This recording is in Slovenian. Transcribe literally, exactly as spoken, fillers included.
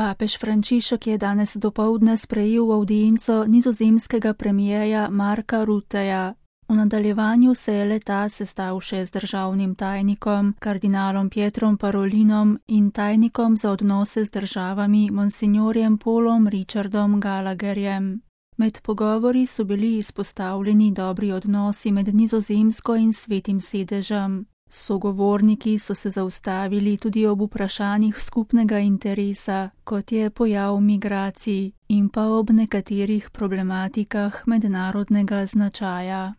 Papež Frančišek je danes dopoldne sprejel avdienco nizozemskega premierja Marka Rutteja. V nadaljevanju se je le-ta sestal še z državnim tajnikom, kardinalom Pietrom Parolinom in tajnikom za odnose z državami monsignorjem Paulom Richardom Gallagherjem. Med pogovori so bili izpostavljeni dobri odnosi med Nizozemsko in Svetim sedežem. Sogovorniki so se zaustavili tudi ob vprašanjih skupnega interesa, kot je pojav migracij, in pa ob nekaterih problematikah mednarodnega značaja.